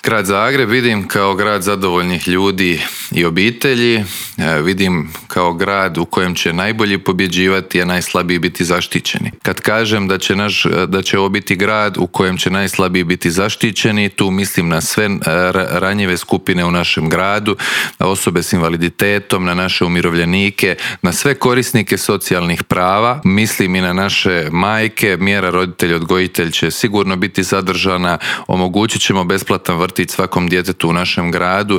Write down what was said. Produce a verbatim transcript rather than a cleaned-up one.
Grad Zagreb vidim kao grad zadovoljnih ljudi i obitelji, vidim kao grad u kojem će najbolji pobjeđivati, a najslabiji biti zaštićeni. Kad kažem da će, naš, da će ovo biti grad u kojem će najslabiji biti zaštićeni, tu mislim na sve ranjive skupine u našem gradu, na osobe s invaliditetom, na naše umirovljenike, na sve korisnike socijalnih prava, mislim i na naše majke. Mjera roditelj odgojitelj će sigurno biti zadržana, omogućit ćemo besplatan vrtić svakom djetetu u našem gradu